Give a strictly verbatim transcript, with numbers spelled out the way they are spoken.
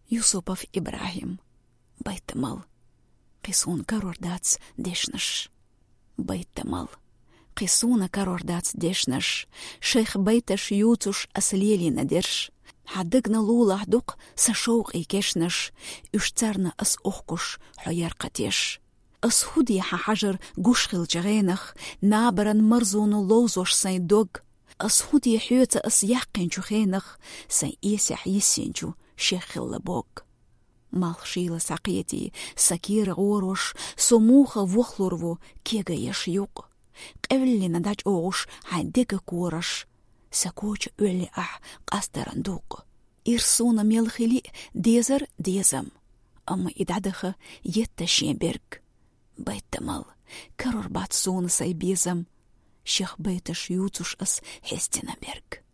Юсупов Ибрахим. Байтамал. Кхы суна карор дац дешнаш. Байтамал. Кхы суна карор дац дешнаш. Шайх байташ ювцаш ас лелийна дерш. Хьа дагна лулахь дукха са шовкъий кешнаш. Уьш царна ас ухкуш хьо яркхатеш. Ас хӀу де хьа хьажар гуш хилча гӀенах, набаран марзоно ловзош сайн дог? Ас хӀу де хьоьца ас яьккхинчу хенах, сайн эсехь йиссинчу шех хилла бог? Малх шийла схьакхетий, сан кера гӀорош, со муха вохлур ву кегаеш юкъ? Къевллина дӀачӀогӀуш хьайн дега кораш, сан коча оьлли ахь къастаран дукъ. Ир суна мел хили дезар дезам, амма и дӀадаха етта шен берг. Байтамал, карор бац суна сай безам, шех байташ ювцуш ас хьестина берг.